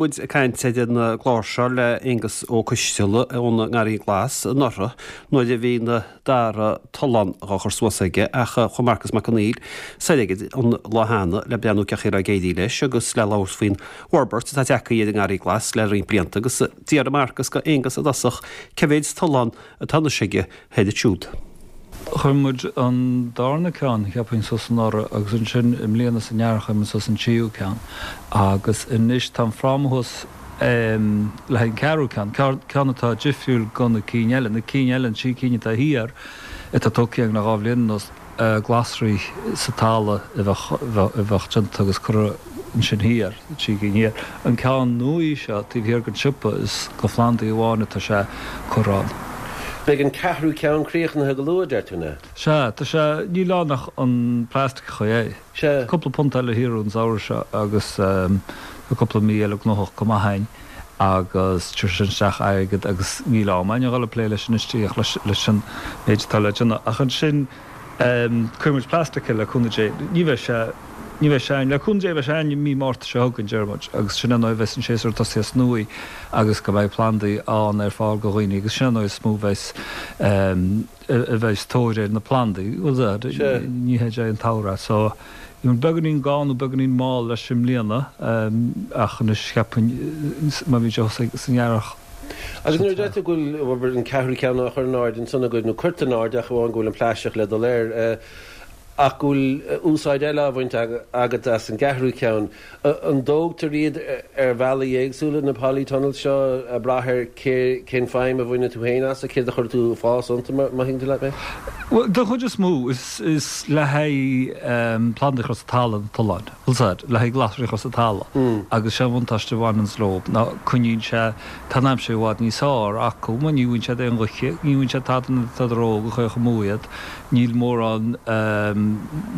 muid ag caint ar an gclár seo le Aengus Ó Coisteala ón nGarraí Glas anuraidh nuair a bhí an dara tollán dhá chur suas aige ach chuaigh Marcus Mac Conghail soir aige an lá cheana le breathnú cén chaoi a raibh ag éirí leis agus le labhairt faoin bhforbairt atá tagtha ar an nGarraí Glas le roinnt blianta agus d'fhiafraigh Marcus de Aengus i dtosach cé mhéid tollán atá anois aige thoir ansiúd. Chuir muid an darna ceann, cheapfainn, suas anuraidh agus ansin i mbliana san earrach chuir muid suas an tríú ceann agus anois tá an fráma thuas le haghaidh an ceathrú ceann, ceann atá difriúil go na cinn eile. Na cinn eile, an trí cinn atá thiar, atá tógtha againn le dhá bhliain anuas, glasraí sa talamh a bheadh déanta agus curtha ansin thiar, na trí cinn thiar. An ceann nua seo taobh thiar den siopa, is go phlandaí amháin atá sé curtha ann. Beidh an ceathrú ceann críochnaithe go luath, deir tú, an ea? Sea, tá sé, níl ann ach an plastic a chur air. Sea. Cúpla punt eile thiar an samhradh seo agus tá cúpla mí eile gnóthach go maith againn agus tabharfaidh sin isteach airgead agus níl am againn a dhul ag plé leis anois díreach leis an méid atá le déanamh. Ach ansin cuirfidh muid plastic air le cúnamh Dé. Ní bheidh sé, ní bheidh sé againn, le cúnamh Dé beidh sé againn i mí Márta seo chugainn, deir muid, agus sin an uair a bheas an séasúr tosaithe as nua agus go mbeidh plandaí ann ar fáil go dhaoine agus sin an uair is mó a bheas a bheas tóir ar na plandaí. Bhuel, ní hé an tsamhradh so bhí muid beagáinín gann nó beagáinín mall leis i mbliana ach anois cheapfainn má bhíonn sé thuas san earrach. Agus nuair a deir tú go bhfuil an ceathrú ceann á chur in airde ansan agaibh, nó curtha in airde ach amháin go bhfuil an plaisteach le dul air, ach go bhfuil úsáid eile á bhaint agat as an gceathrú ceann, An dtógtar iad ar bhealaí éagsúla, na polytunnels seo, ag brath ar cén feidhm a bhaineann tú féin as, céard a chuirfidh tú ag fás iontu, má thuigeann tú leat mé? Bhuel, den chuid is mó, is le haghaidh plandaí a chur sa talamh na tolláin, bhfuil 's a'd, le haghaidh glasraí a chur sa talamh agus sé an bhuntáiste a bhaineanns leo ná coinníonn sé, tá an aimsir i bhfad níos fearr acu mar ní bhfaigheann siad aon ghaoth, ní bhfaigheann siad tada nuair atá siad óg a chuirfeadh amú iad. Níl mórán,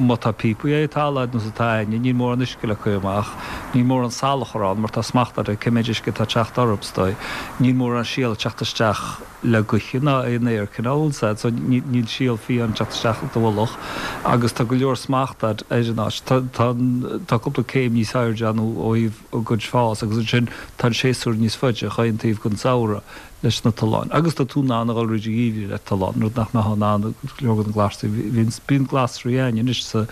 má tá píopaí ar an talamh ar nós atá a'inne, níl mórán uisce le cur amach. Níl mórán salachar ann mar tá smacht a'd ar cé méid uisce atá ag teacht orthu, is dóigh. Níl mórán síol ag teacht isteach le gaoithe ná aon aer cineál, bhfuil 's a'd, so níl síol fiáin ag teacht isteach i do mhullach agus tá go leor smacht a'd ar an áit. Tá, tá, tá cúpla céim níos airde ann ó thaobh a gcuid fás agus ansin tá an séasúr níos faide chaon taobh den samhradh. leis na tolláin. Agus tá tú in ann a dhul fríd an gheimhreadh le tollán, rud nach mbeifeá in ann go leor de na glasraí. Bhíonn, bíonn glasraí a'inn anois sa,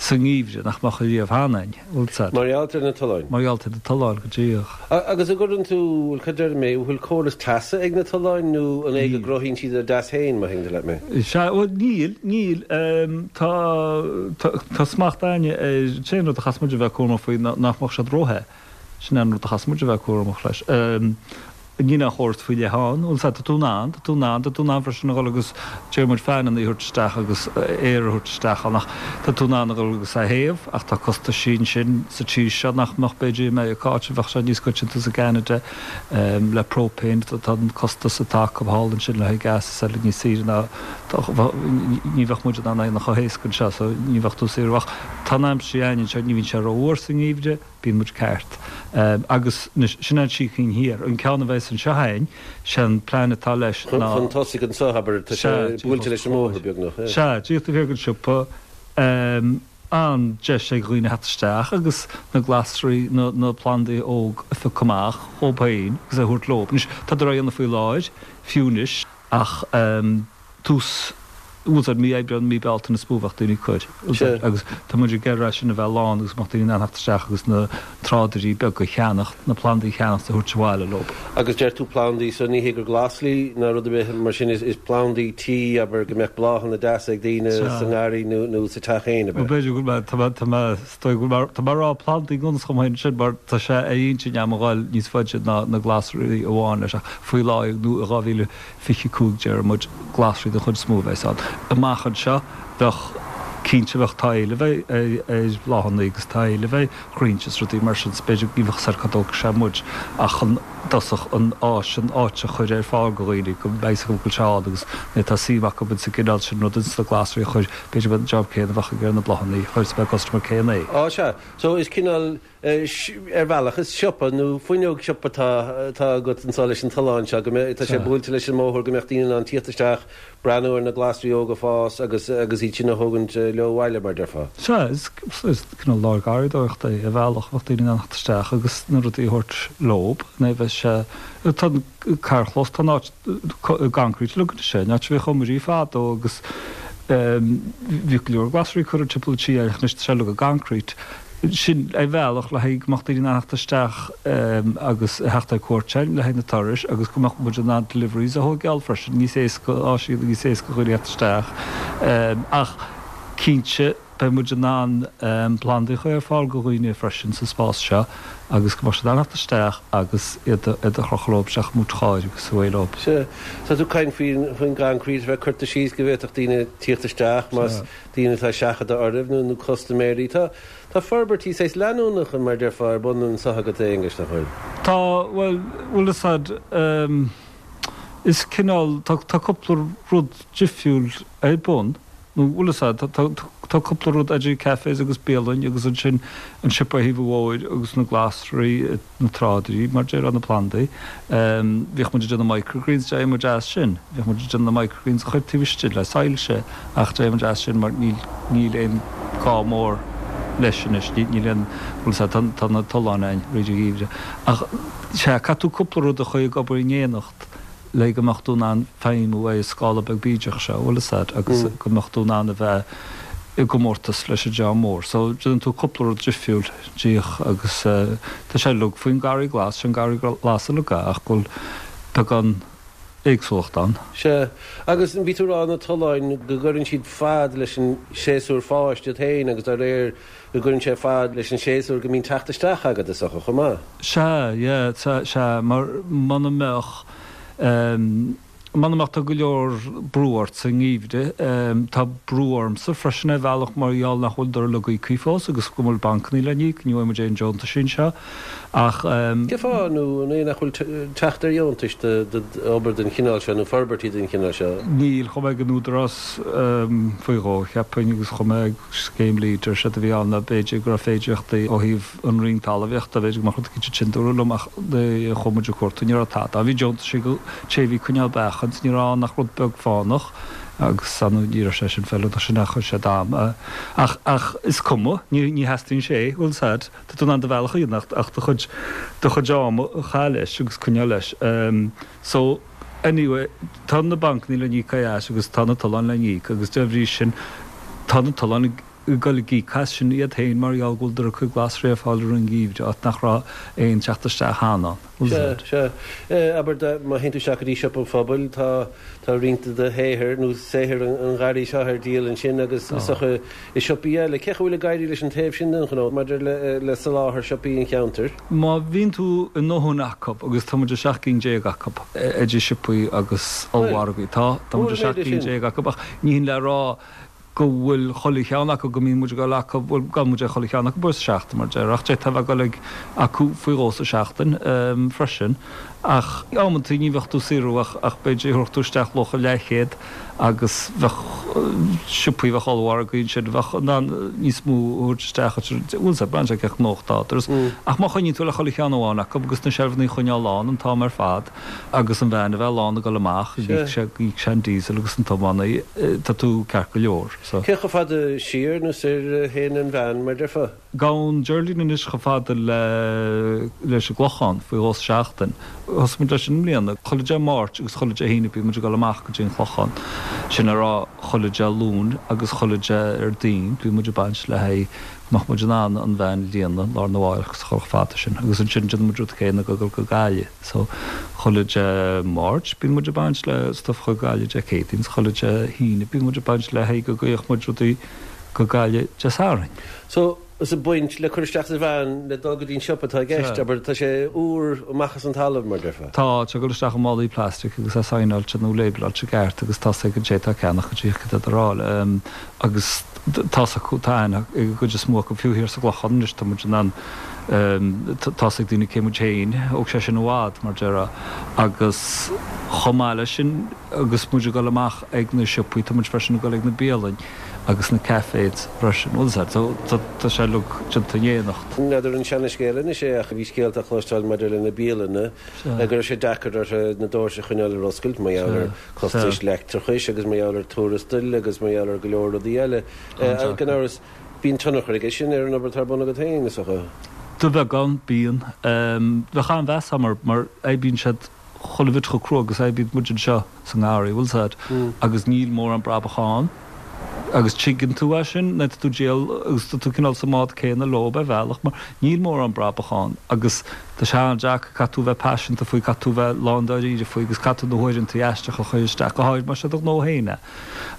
sa ngeimhreadh nach mbeadh ariamh cheana a'inn, bhfuil 's a'd. Mar gheall ar na tolláin? Mar gheall ar na tolláin, go díreach. Agus an gcuireann tú, bhuel, cad déarfaidh mé, bhfuil córas teasa ag na tolláin nó an é go gcruthaíonn siad a dteas féin, má thuigeann tú leat mé? Sea, bhuel, níl, níl. Tá, tá, tá smacht a'inne ar, an t-aon rud a chaithfeas muid a bheith cúramach faoi ná nach mbeadh siad róthe. Sin é an rud a chaithfeas muid a bheith cúramach leis. Níl aon chóras faoi leith ann. Bhuel, sea, tá tú in ann, tá tú in ann, tá tú in ann freisin a dhul agus, deir muid, fananna a thabhairt isteach agus aer a thabhairt isteach ann ach tá tú in ann a dhul agus a théamh ach tá costaisí ansin sa tír seo nach mbeadh b'fhéidir i Meiriceá, áit a bheadh sé níos coitianta is i gCeanada le propane, tá an costas atá acu thall ansin le haghaidh gas is eile níos saoire ná ní bheadh muid in ann é a dhéanamh chomh héasca anseo so ní bheadh tú saor ach tá an aimsir againn anseo, ní bhíonn sé rófhuar sa ngeimhreadh. Bíonn muid ceart. Agus anois, sin an trí cinn thiar. An ceann a bheas anseo a'inn, sé an plean atá leis ná. Chun tosaigh anseo, abair, tá sé buailte leis an mbóthar, beagnach. Sea, díreach taobh thiar den siopa. An-deis ag dhaoine theacht isteach agus na glasraí, na plandaí óg a phiocadh amach dhób féin agus é a thabhairt leo. Anois, tádar á dhéanamh faoi láthair, fiú anois, ach. tús, bhfuil 's a'd, mí Aibreán, mí Bealtaine is mó a bheadh daoine ag cur, bhfuil 's a'd, agus tá muid ag iarraidh sin a bheith lán agus go mbeadh daoine in ann theacht isteach agus na trádairí beaga a cheannach, na plandaí a cheannach is a thabhairt abhaile leo. Agus deir tú plandaí, so ní hé gur glasraí ná rud ar bith mar sin, is plandaí tí, abair, go mbeadh bláthanna deasa ag daoine sa ngarraí nó nó sa teach féin, ab ea? Bhuel b'fhéidir go bhfuil mé, tá mé, tá mé, is dóigh go bhfuil mé, tá mé ag rá plandaí gan fhios dhom féin ansin mar tá sé ar intinn a'm a ghoil níos faide ná na glasraí amháin leis ach faoi láthair nó i 2000, 25 deir muid, glasraí den chuid is mó a bheas ann. Amach anseo, bheadh, cinnte, bheadh, tá éileamh ar bhláthanna agus tá éileamh ar bhraointe is rudaí mar sin, so b'fhéidir, ní bheadh 's a'd cá dtógfaidh sé muid ach an. dtosach an áis, an áit a chur ar fáil go dhaoine, go mbeidh 'fhios acu go bhfuil sé ann agus nuair atá suim acu ins an gcineál sin rud, ins na glasraí a chur, b'fhéidir go mbeadh an job céanna a bheadh ag ar na bláthanna a chur, is mbeadh customer céanna é. Á sea. So is cineál, ar bhealach, is siopa nó fuinneog siopa atá atá agat anseo leis an tollán seo, go mbeadh, tá sé buailte leis an mbóthar, go mbeadh daoine in ann tíocht isteach, breathnú ar na glasraí óga ag fás agus agus iad sin a thógaint leo abhaile, mar déarfá. Sea, is is cineál lár garraíodóireachta é, ar bhealach, bheadh daoine in ann theacht isteach agus na rudaí a thabhairt leob, nó bheadh sé, tá an carrchlós, tá an áit i gconcrete uilig anois, an áit a bhíodh iomairí fadó agus bhíodh go leor glasraí curtha timpeall an tí ach anois tá sé uilig i gconcrete. Sin ar bhealach le haghaidh go mbeadh daoine in ann theacht isteach agus a theacht ar cuairt againn le haghaidh na turais agus go mbeadh muid in ann deliveries a thóigeáil freisin, níos éasca, áiseanna níos éasca do dhaoine theacht isteach. Ach cinnte beidh muid in ann plandaí a chur ar fáil do dhaoine freisin sa spás seo agus go mbeadh siad in ann theacht isteach agus iad a chrochadh leo isteach i mboot chairr agus away leo. Sea, tá tú ag caint faoin gconcrete a bheith curtha síos go bhféadfadh daoine tíocht isteach más daoine atá ag seachadadh oraibh nó nó custaiméirí. Tá tá forbairtí saghas leanúnacha mar déarfá ar bun anseo agat a Aonghuis, nach bhfuil? Tá, bhuel, bhfuil fhios a'd, is cineál, tá tá cúpla rud difriúil ar bun, nó bhfuil fhios a'd, tá tá tá cúpla rud idir cafés agus bialainn agus ansin an siopa ar thaobh an bhóthair agus na glasraí, na trádairí, mar déarfá, na plandaí. Bhíodh muid ag déanamh microgreens, d'éirigh muid as sin. Bhíodh muid ag déanamh na microgreens a chur taobh istigh le soilse ach d'éirigh muid as sin mar níl, níl aon gá mór leis anois, níl aon, bhfuil 's a'd, tá na tolláin a'inn fríd an gheimhreadh. Ach sea, caithfidh tú cúpla rud a chur ag obair in éineacht le go mbeadh tú in ann feidhmiú ar an scála beag bídeach seo, bhfuil 'fhios a'd, agus go mbeadh tú in ann a bheith i gcomórtas leis an dream mór. So, déanann tú cúpla rud difriúil díreach agus tá sé uilig faoin Garraí Glas, sé an Garraí Glas uilig é ach go bhfuil beagán éagsúlacht ann. Sea, agus bhí tú ag rá na tolláin go gcuireann siad fad leis an séasúr fáis iad féin agus dá réir go gcuireann sé fad leis an séasúr go mbíonn teacht isteach agat is dócha chomh maith. Sea, yeah, sea, mar muna mbeadh, muna mbeadh tá go leor brú ort sa ngeimhreadh, tá brú ormsa freisin ar bhealach mar gheall nach bhfuil uilig íoctha fós agus go bhfuil bancannaí le n-íoc, ní bhfaighidh muid aon deontais anseo ach. Cén fáth nó an é nach bhfuil teacht ar dheontais d'obair den chineál seo nó forbairtí den chineál seo? Níl, chuaigh mé ag an Údarás faoi dhó, cheapfainn, agus chuaigh mé ag scéim Leader, séard a bhí ann ná b'fhéidir go raibh féidireachtaí ó thaobh an Roinn Talmhaíochta, b'fhéidir go mbeadh rud eicínt ansin dúradh liom ach nuair a chuaigh muid ag cuartú ní raibh tada. Bhí deontais ag an té a bhí ag coinneáil beach ann ní raibh ann ach rud beag fánach agus ar ndóigh ní raibh sé sin feiliúnach sin ach chuir sé d'am. Ach ach is cuma, ní ní theastaíonn sé, bhfuil 's a'd, tá tú in ann do bhealach a dhéanamh ach ach do chuid do chuid ama a chaitheamh leis agus coinneáil leis. So anyway tá na bancannaí le n-íoc ar ais agus tá na tolláin le n-íoc agus dá bhrí sin tá na tolláin ag ag dul ag íoc as sin iad féin mar gheall go bhfuil cuid glasraí ar fáil i rith an gheimhridh áit nach raibh aon teacht isteach cheana ann. Sea, sea. Abair, má théann tú isteach go dtí Siopa an Phobail, tá, tá roinnt de do shaothar, nó saothar an gharraí seo ar díol ansin agus is dócha i siopaí eile. Cén chaoi a bhfuil ag éirí leis an taobh sin den ghnó maidir le, le soláthar siopaí an cheantair? Má bhíonn tú i ndóthain acu, agus tá muid i 17 gcinn acu, idir siopaí agus ollmhargaí, tá, tá muid i 17 cinn acu, ach ní hin le rá go bhfuil chuile cheann acu, go mbíonn muid ag dul acu, bhuel, gabhann muid ag chuile cheann acu uair sa seachtain, mar a déarfá, ach d'fhéadfá a bheith ag dul ag acu faoi dhó sa seachtain freisin. Ach amantaí ní bheadh tú saothrú ach, ach b'fhéidir thabharfadh tú isteach luach a leathchéad agus bheadh siopaí, bheadh ollmhargaí ansin, bheadh in ann níos mó a thabhairt isteach, bhuel, sea, braitheann sé cé chomh gnóthach atá tú. Ach má choinníonn tú le chuile cheann amháin acu agus na seilfeanna a choinneáil lán an t-am ar fad, Agus an veain a bheith lán ag dul amach, go íoc sé an diesel agus an tiománaí, tá tú ceart go leor. So. Cé chomh fada siar nó soir a théann an veain, mar déarfá? Gabhann Geraldine anois chomh fada le leis an gClochán, faoi dhó sa seachtain. Thosaigh muid leis sin i mbliana. Chuile Dé Máirt agus chuile Dé hAoine bíonn muid ag dul amach go dtí an Clochán. Sin le rá chuile Dé Luain agus chuile Déardaoin bíonn muid ag baint le haghaidh go mbeadh muid in ann an veain a líonadh lá arna mhárach agus a chur chomh fada sin. Agus ansin déanann muid rud céanna ag dul go Gaillimh. So, chuile Dé Máirt bíonn muid ag baint le stuif chuig Gaillimh Dé Céadaoin, 's chuile Dé hAoine bíonn muid ag baint le haghaidh go gcuirfeadh muid rudaí go Gaillimh Dé Sathairn. So, is ag baint le cur isteach sa veain le dul go dtí an siopa atá i gceist, abair, tá sé úr amach as an talamh, mar déarfá. Tá, tá sé ag dul isteach i málaí plastic agus é saighneáilte nó label-áilte i gceart agus tá 's ag an té atá ag ceannach go díreach cad é atá ar fáil. Agus tá 's acu, tá aithne ag an gcuid is mó acu, fiú thiar sa gClochán anois tá muid in ann. Tá's ag daoine cé muid féin, thóg sé sin i bhfad, mar déarfá. Agus chomh maith leis sin, agus muid ag dul amach ag na siopaí, tá muid freisin ag dul ag na bialainn agus na cafés freisin. Bhfuil 'fhios a'd, so tá sé uilig déanta in éineacht. N'fheadar an seana-scéal anois é ach bhí scéalta á chloisteáil maidir le na bialanna, go raibh sé deacair orthu na doirse a choinneáil ar oscailt mar gheall ar costais leictreachais agus mar gheall ar tuarastail agus mar gheall ar go leor rudaí eile. Gan amhras, Bíonn tionchar aige sin ar an obair atá ar bun agat féin, is dócha. De bheagán, bíonn. Bheadh an-mheas agam orthu mar oibríonn siad chuile bhit chomh crua agus a oibríonn muid anseo sa ngarraí, bhfuil 's a'd, agus níl mórán brabach ann agus tuigeann tú é sin nuair atá tú ag díol agus tá tú cineál sa mbád céanna leo ar bhealach mar níl mórán brabach ann agus tá sé an-deacair, caithfidh tú a bheith paiseanta faoi, caithfidh tú a bheith lándáiríre faoi agus caithfidh tú na huaireanta aisteacha a chur isteach, go háirid más é do ghnó féin é.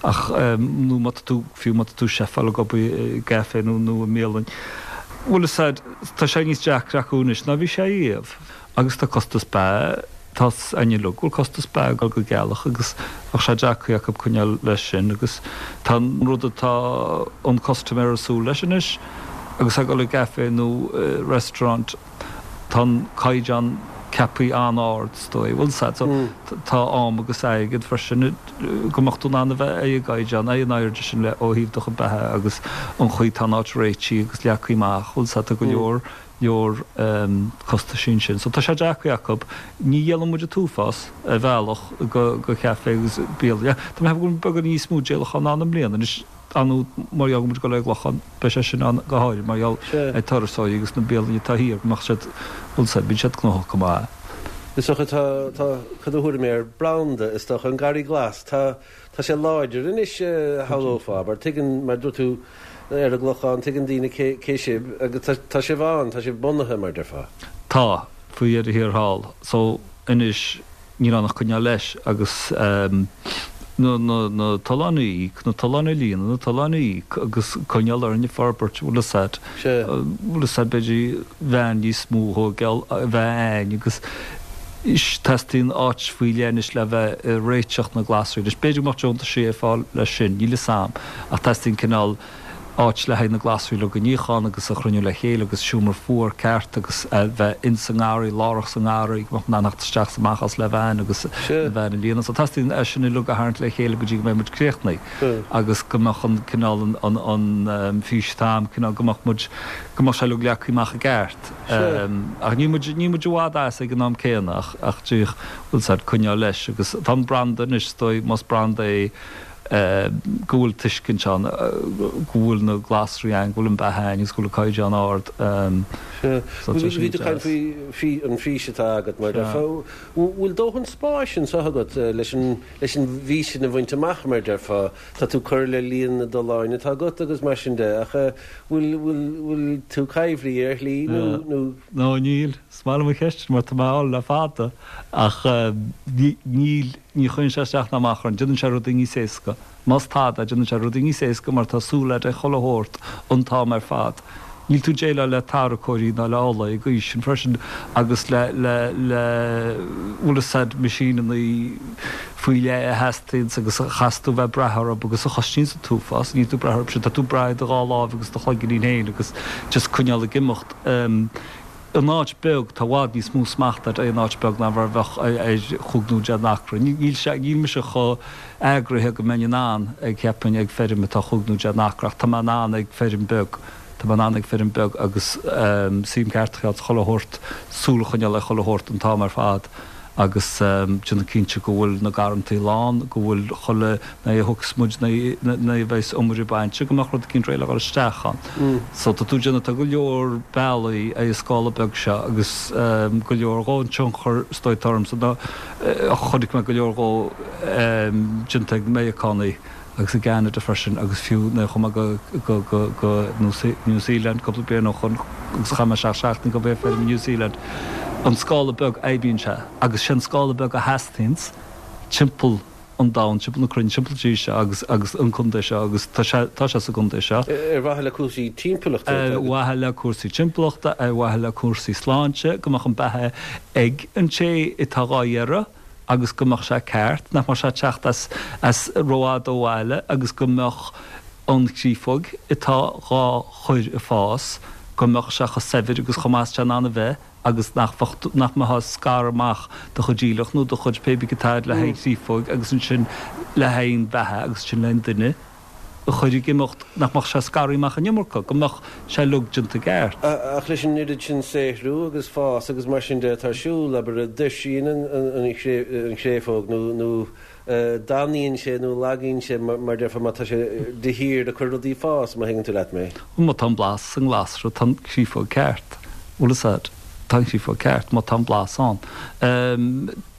Ach, nó má tá tú, fiú má tá tú chefáil ag obair i gcaifé nó nó i mbialann, bhfuil 'fhios a'd, tá sé níos deacra acu anois ná bhí sé riamh. Agus tá costas beatha, tá's a'inn uilig go bhfuil costas beatha ag dul go gealach agus bheadh sé deacair acu coinneáil leis sin agus tá an rud atá an custaiméir ag súil leis anois agus é ag dul i gcaifé nó i restaurant, Tá an caighdeán ceaptha an-ard, is dóigh. Bhfuil 's a'd, so tá am agus airgead freisin go mbeadh tú in ann a bheith ar an gcaighdeán, ar an airde sin le ó thaobh do chuid beatha agus an chaoi tá an áit réitithe agus leagtha amach, bhfuil 's a'd, tá go leor, leor costaisí ansin. So tá sé deacair acu. Ní dhíolann muid an t-uafás ar bhealach go, go chaifé agus bialann. Tá mé ag ceapadh go bhfuil beagán níos mó díolachán ann i mbliana anois. Ar ndóigh, mar gheall go bhfuil muid ag dul ar an gClochán, beidh sé sin ann go háirid mar gheall ar turasóirí agus na bialanna atá thiar, go mbeadh siad, bhfuil 's a'd, bíonn siad gnóthach go maith. Is dócha, tá, tá, cad a thabharfaidh mé air, branda, is dócha, an Garraí Glas, tá, tá sé láidir anois, shamhlófá, mar tuigeann, mar dúirt tú, ar an gClochán, tuigeann daoine cé, cé sibh agus tá, tá sibh ann, tá sibh bunaithe, mar déarfá. Tá, faoi dheireadh thiar thall. So, anois, Níl ann ach coinneáil leis agus na tolláin a íoc, na tolláin a líonadh, na tolláin a íoc agus coinneáil orainn ag forbairt, bhfuil 'fhios a'd, bhfuil 'fhios a'd, b'fhéidir veain níos mó a thógáil, a bheith a'ainn agus teastaíonn áit faoi leith anois le bheith ag réiteach na glasraí anois. B'fhéidir go mbeadh deontaisí ar fáil leis sin, níl 'fhios a'm, ach teastaíonn cineál, áit le haghaidh na glasraí uilig a níochán agus a chruinniú le chéile agus seomra fuar ceart agus a bheith ins an ngarraí, lárach sa ngarraí, go mbeadh in ann theacht isteach is amach as le veain agus na veain a líonadh. So teastaíonn é sin uilig a tharraingt le chéile go dtí go mbeidh muid críochnaithe agus go mbeadh an cineál an an fís atá a'm, cineál go mbeadh muid, go mbeadh sé uilig leagtha amach i gceart. Ach níl muid, níl muid i bhfad as ag an am céanna ach ach díreach, bhfuil 's a'd, coinneáil leis agus tá an branda anois, is dóigh, más branda é, go bhfuil tuiscint ann go bhfuil na glasraí ann, go bhfuil an beatha ann agus go bhfuil an caighdeán ard. Sea. Bhí tú ag caint faoi an fís atá agat mar déarfá. Bhfuil dóthain spáis anseo agat leis an leis an bhfís sin a bhaint amach mar déarfá? Tá tú ag cur le líon na dtolláin atá agat agus mar sin de ach bhfuil bhfuil bhfuil tú coimhthithe ar shlí nó nó? No níl. Is maith liom an cheist sin mar tá mé á fháil le fada ach níl. Ní chuireann sé isteach ná amach orainn. Déanann sé rudaí níos éasca. Más tada, déanann sé rudaí níos éasca mar tá súil agat ar chuile shórt an t-am ar fad. Níl tú ag déileáil le tarracóirí ná le ola ag aois sin freisin agus le, le, le, bhfuil 'fhios a'd, meaisíneanna faoi leith a theastaíonns agus a chaithfeas tú bheith ag brath orthu agus a chosnaíonns an t-uafás. Níl tú ag brath orthu sin. Tá tú ag brath ar do dhá láimh agus do chloiginnín féin agus just coinneáil ag imeacht. In áit beag, tá i bhfad níos mó smachta agat ar an áit beag ná mar a bheadh ar chúig nó deich n-acra. Níl sé, níl mise chomh eagraithe go mbeinn in ann ag, cheapfainn, ag feirm atá chúig nó deich n-acra ach tá mé in ann ag feirm beag, tá mé in ann ag feirm beag agus suim ceart a choinneáil chuile shórt, súil a choinneáil ar chuile shórt an t-am ar fad. agus déanamh cinnte go bhfuil na garrantaí lán, go bhfuil chuile ní a thiocfas muid, nuair a bheas iomaire bainte, go mbeadh rud eicínt réidh le dhul isteach ann. So tá tú ag déanamh, tá go leor bealaí ar an scála beag seo agus go leor dhó an tionchar is dóigh atá ormsa ná chonaic mé go leor dhó déanta ag Meiriceánaigh agus i gCeanada freisin agus fiú nuair a chuaigh mé go go go New Zealand cúpla bliain ó shoin agus chaith mé seacht seachtain ag obair ar feirm i New Zealand. An scála beag oibríonn sé agus sé an scála beag a theastaíonns timpeall an domhain, timpeall na cruinne, timpeall an tír seo agus agus an contae seo agus tá sé tá sé sa gcontae seo. Ar mhaithe le cúrsaí timpeallachta. Ar mhaithe le cúrsaí timpeallachta, ar mhaithe le cúrsaí sláinte, go mbeadh an beatha ag an té atá dhá iarraidh. agus go mbeadh sé ceart, nach mbeadh sé ag teacht as as rófhada ó bhaile agus go mbeadh an chréafóg atá dhá chur ag fás. go mbeadh sé chomh saibhir agus chomh maith is tá in ann a bheith agus nach bheadh, nach mbeifeá ag scaradh amach do chuid aoileach nó do chuid pé bith atá agat le haghaidh créafóig agus ansin le haghaidh an bheatha agus ansin le haghaidh an duine a chur ag imeacht, nach mbeadh sé scartha amach an iomarca, go mbeadh sé uilig déanta i gceart. Ach leis an oiread sin saothrú agus fás agus mar sin de atá ar siúl, abair, tuirsíonn an chréafóg nó damnaíonn sé nó lagaíonn sé, mar déarfá, má tá sé de shíor ag cur rudaí ag fás, má thuigeann tú leat mé. Má tá an blas sa nglasra, tá an chréafóg ceart. Bhfuil fhios a'd? Tá an chréafóg ceart, má tá an blas ann.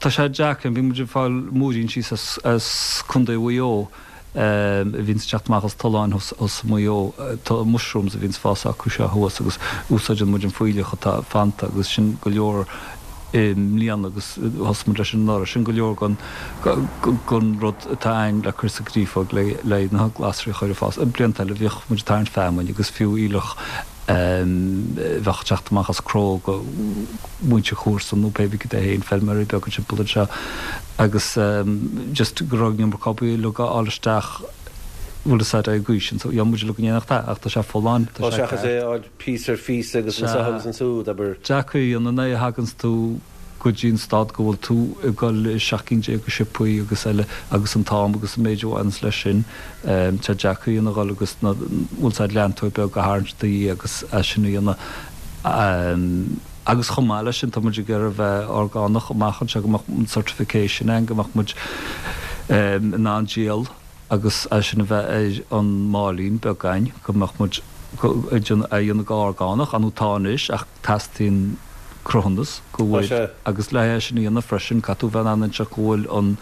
Tá sé deacair, bhí muid ag fáil múirín síos as Contae Mhaigh Eo, a bhíonns ag teacht amach as tolláin thuas i Maigh Eo. Tá mushrooms a bhíonns fás acu seo thuas agus úsáideann muid an fuílleach atá fanta agus sin go leor i mbliana agus thosaigh muid leis sin anuraidh. Sin go leor den den rud atá a'ainn le cur sa gcréafóg le le na glasraí a chur ag fás. Blianta eile bhíodh muid ag tarraingt feamainn agus fiú aoileach a bheadh ag teacht amach as cró go muintir comharsan nó pé bith cad é féin, feilméaraí beaga timpeall anseo agus just go raibh an iomarca obair uilig á fháil isteach bhfuil fhios a'd ar an gcaoi sin so gheobhaidh muid uilig in éineacht é ach tá sé folláin, tá sé Seachas é a fháil píosa ar phíosa agus anso agus ansúd, abair. Deacair a dhéanamh nuair a thaganns tú go dtí an stad go bhfuil tú ag dul i 17 cinn de siopaí agus eile agus an t-am agus an méid a bhaineanns leis sin, tá deacair a dhéanamh a dhul agus na, bhfuil fhios a'd leantóir beag a tharraingt do dhiaidh agus é sin a dhéanamh. Agus chomh maith leis sin tá muid ag iarraidh a bheith orgánach amach anseo go mbeadh an certification ann go mbeadh muid in ann díol agus é sin a bheith ar an máilín beag againn go mbeadh muid ag déanamh, é a dhéanamh go orgánach, ar ndóigh tá anois ach teastaíonn cruthúnas go bhfuil agus le é sin a dhéanamh freisin caithfidh tú bheith in ann inseacht go bhfuil an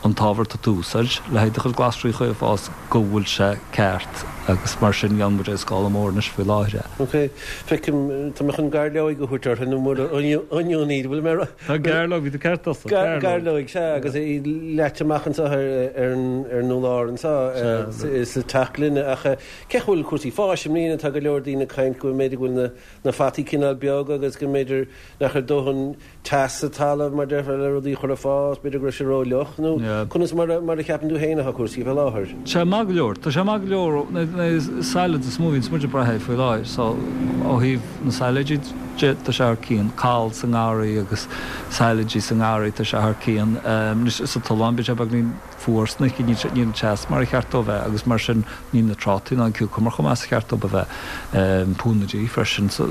an t-ábhar atá tú a úsáid le haghaidh do chuid glasraí a chur ag fás go bhfuil sé ceart agus mar sin dhéanann muid é ar scála mór anois faoi láthair. Ok. Feicim, tá mé chun gairleoig a thabhairt orthu nó mura onion iad, bhfuil mé rá. Tá gairleoig, bhí tú ceart tusa, gairleoig. Gairleoig, sea, agus í leaite amach anseo ar an urlár anseo sa teach gloine ach cén chaoi a bhfuil cúrsaí fáis i mbliana, tá go leor daoine ag caint go mb'fhéidir go bhfuil na na fataí cineál beag agus go mb'fhéidir nach raibh dóthain teas sa talamh mar déarfá le rudaí a chur ag fás, b'fhéidir go raibh sé ró-fhliuch nó conas mar a mar a cheapann tú féin atá cúrsaí faoi láthair? Tá sé maith go leor, tá sé maith go leor, na salads is mó a bhíonns muid ag brath air faoi láthair so ó thaobh na sailéidí de tá sé thar cionn, cál sa ngarraí agus sailéidí sa ngarraí tá sé thar cionn, anois sa tollán bíonn sé beagainín fuar san oíche, níl an teas mar a cheart dó bheith agus mar sin níl na trátaí ná an cucumber chomh maith is a cheart dóibh a bheith. Púnaidí freisin sa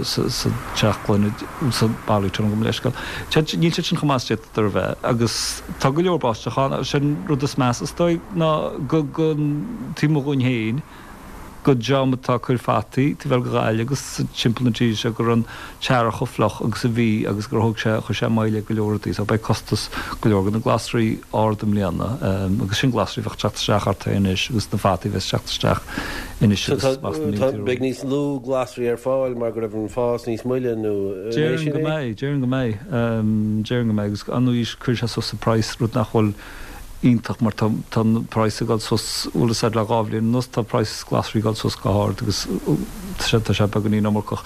teach gloine, sa polytunnel gabh mo leithscéal. Níl siad sin chomh maith is a d'fhéadfadar a bheith agus tá go leor báisteach ann. Sin rud is measa is dóigh ná go taobh amuigh dhúinn féin. go dream atá ag cur fataí taobh thoir de Ghaillimh agus timpeall na tíre seo go raibh an t-earrach chomh fliuch agus a bhí agus gur thóg sé, chuir sé moill ar go leor rudaí. So beidh costas go leor de na glasraí ard i mbliana agus sin glasraí a bheadh ag teacht isteach thart anois agus na fataí a bheas ag teacht isteach anois agus amach sna mílte romhainn. Beidh níos lú glasraí ar fáil mar go raibh an fás níos moille nó an é Déarfainn sin go é? mbeidh, déarfainn go mbeidh, déarfainn go mbeidh agus ar ndóigh cuirfidh sé suas an praghas rud nach bhfuil iontach mar tá tá an praghas ag dul suas, bhfuil fhios a'd le 2 bhliain anuas tá praghas glasraí ag dul suas go hard agus tá sé tá sé beagáinín iomarcach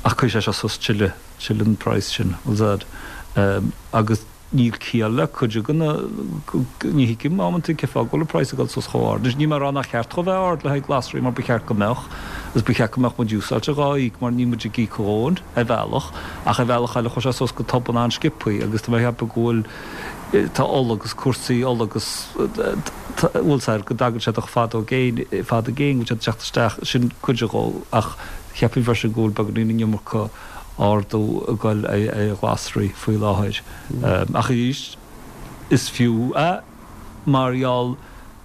ach cuirfidh sé seo suas tuilleadh tuilleadh an praghas sin, bhfuil fhios a'd. Agus níl ciall le cuid de na ní thuigim amantaí cén fáth go bhfuil an praghas ag dul suas chomh hard. Anois níl mé ag rá nach cheart dhó bheith ard le haghaidh glasraí mar ba cheart go mbeadh agus ba cheart go mbeadh muid used to dhá íoc mar níl muid ag íoc a dhóthain ar bhealach ach ar bhealach eile chuaigh sé suas go tobann an-sciobthaí agus tá mé ag ceapadh go bhfuil Tá ola agus cúrsaí ola agus bhfuil fhios a'd go dtagann sé de fad ó gcéin, fad i gcéin go bhfuil siad ag teacht isteach, sin cuid dhó ach cheapfainn freisin go bhfuil beagáinín an iomarca ardú ag dul ar ghlasraí faoi láthair. Ach arís is fiú é mar gheall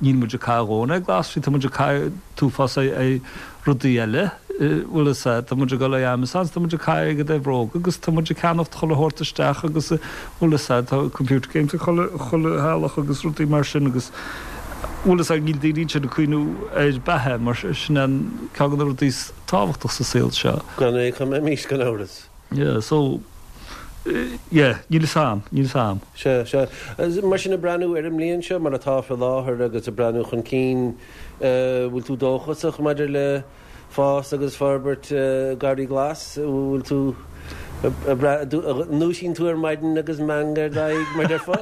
níl muid ag caitheamh a dhóthain ar glasraí, tá muid ag caitheamh an t-uafás ar rudaí eile, bhfuil fhios a'd, tá muid ag dul ar Amazon, tá muid ag caitheamh airgead ar bhróga agus tá muid ag ceannacht chuile shórt isteach agus bhfuil fhios a'd, tá computer games ag chuile, chuile theaghlach agus rudaí mar sin agus bhfuil fhios a'd, níl daoine ansin ag cuimhniú ar beatha mar sin an ceann de na rudaí is tábhachtach sa saol seo. Gan é cá mbeimís gan amhras. Yeah, so, yeah, níl fhios a'm, níl fhios a'm. Sea, sea. Mar sin, ag breathnú ar an mbliain seo mar atá faoi láthair agus ag breathnú chun cinn, bhfuil tú dóchasach maidir le fás agus forbairt Garraí Glas? Bhfuil tú. An ndúisíonn tú ar maidin agus meangadh ar d'aghaidh, mar déarfá?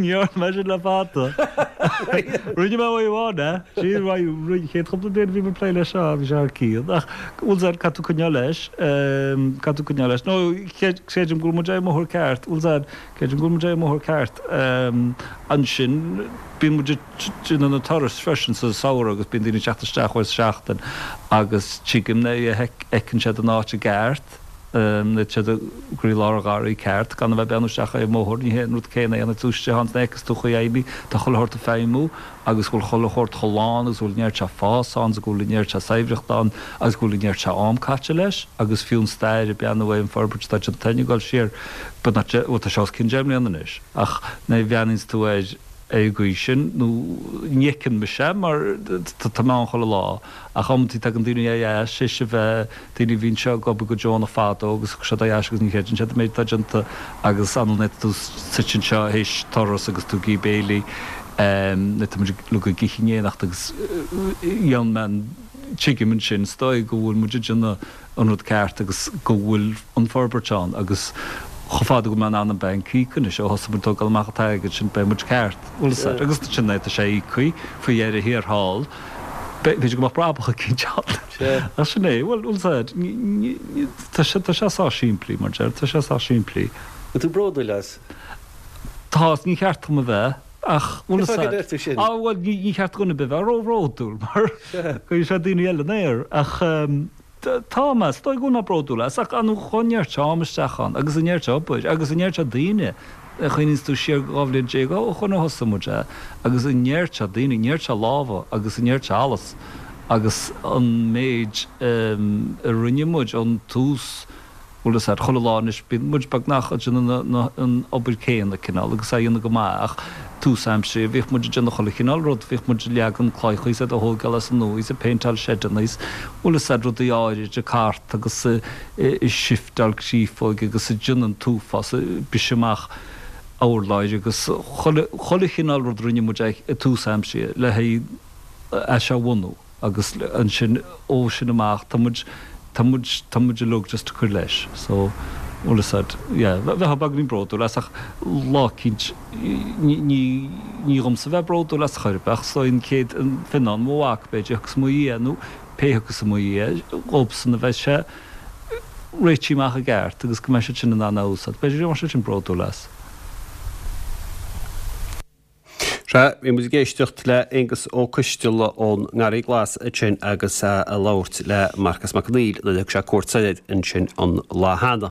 Ní dhearna mé sin le fada. Rinne mé uair amháin é. Sin an chéad chúpla bliain a bhí mé ag plé leis seo, bhí sé thar cionn. Ach, bhfuil 's a'd, caithfidh tú coinneáil leis. Caithfidh tú coinneáil leis. Nó, creidim go bhfuil muid ar an mbóthar ceart. Bhfuil 's a'd, creidim go bhfuil muid ar an mbóthar ceart. Ansin, bíonn muid ag déanamh na turais freisin sa samhradh agus bíonn daoine ag teacht isteach uair sa seachtain agus tuigim nuair a fheiceann siad an áit i gceart. Nuair atá siad i gcroílár an gharraí ceart, gan a bheith ag breathnú isteach ar an mbóthar, ní hé an rud céanna é nuair atá tú istigh ann is nuair a fheiceas tú chaoi fheidhmí, tá chuile shórt ag feidhmiú agus go bhfuil chuile shórt chomh lán agus go bhfuil an oiread seo fás ann is go bhfuil an oiread seo saibhreacht ann agus go bhfuil an oiread seo am caite leis agus fiú an stair ag breathnú ar an forbairt atá déanta ag dul siar, beagnach, bhuel tá sé os cionn 10 mbliana anois ach nuair a bhreathnaíonns tú air ar an gcaoi sin, nó ní fheiceann mise mar tá mé ann chuile lá. Ach amantaí tagann daoine ar ais théis a bheith, daoine a bhí anseo ag obair go deonach fadó agus thug siad ar ais agus ní chreideann siad an méid atá déanta agus anall nuair atá tú suite anseo théis turas agus tú ag ithe béilí nuair atá muid uilig ag ithe in éineacht agus dhéan mé an, tuigim ansin is dóigh go bhfuil muid ag déanamh an rud ceart agus go bhfuil an forbairt ann agus chomh fada go bhfuil mé in ann an banc a íoc anois ó thosaigh muid tógáil amach an t-airgead sin beidh muid ceart, bhfuil fhios agat agus sin é tá sé íoctha faoi dheireadh thiar thall. B'fhéidir go mbeadh brabach eicínt ann. Ach sin é. Bhuel, bhfuil fhios a'd, tá sé, tá sé sách simplí, mar deir, tá sé sách simplí. Bhfuil tú bródúil as? Tá, is ní cheart dom a bheith, ach, bhfuil fhios a'd. Cén fáth go deir tú sin? Ah, bhuel, ní, ní cheart do dhuine ar bith bheith róbhródúil, mar cuirfidh sé daoine eile in aer. Ach, Tá mé, is dóigh go bhfuil mé bródúil as, ach an chuaigh an oiread seo am isteach ann, agus an oiread seo obair, agus an oiread seo daoine, a chuimhníonns tú siar 12 bhliain ó shoin ó thosaigh muid é, agus an oiread seo daoine, an oiread seo lámha, agus an oiread seo allas, agus an méid a rinne muid ón tús, Bhuel is ea, chuile lá anois bíonn muid beagnach ag déanamh an obair céanna cineál agus á dhéanamh go maith ach tús aimsire bhíodh muid ag déanamh chuile chineál rud, bhíodh muid ag leagan cloiche is á dtógáil as an nua is ag péinteáil seideanna is bhfuil fhios a'd rudaí áirid ag cart agus ag sifteáil créafóige agus ag déanamh an t-uafás ag briseadh amach urláir agus chuile chuile chineál rud rinne muid ag tús aimsire le haghaidh é seo a bhunú. agus ansin ó sin amach tá muid, tá muid, tá muid uilig just ag cur leis so bhfuil fhios a'd, yeah, bheifeá beagáinín bródúil as ach lá eicínt ní, ní, ní dhomsa bheith bródúil as chor ar bith ach is dóigh an chéad, an Fionnán, mo mhac b'fhéidir, a thiocfas i mo dhiaidh nó pé a thiocfas i mo dhiaidh, dhóibhsan a bheidh sé réitithe amach i gceart agus go mbeidh siad sin in ann é a úsáid, b'fhéidir go mbeadh siad sin bródúil as. Sea, bhí muid ag éisteacht le Aengus Ó Coisteala ón nGarraí Glas ansin agus é ag labhairt le Marcas Mac Conghail nuair a thug sé cuairt soir ansin an lá cheana.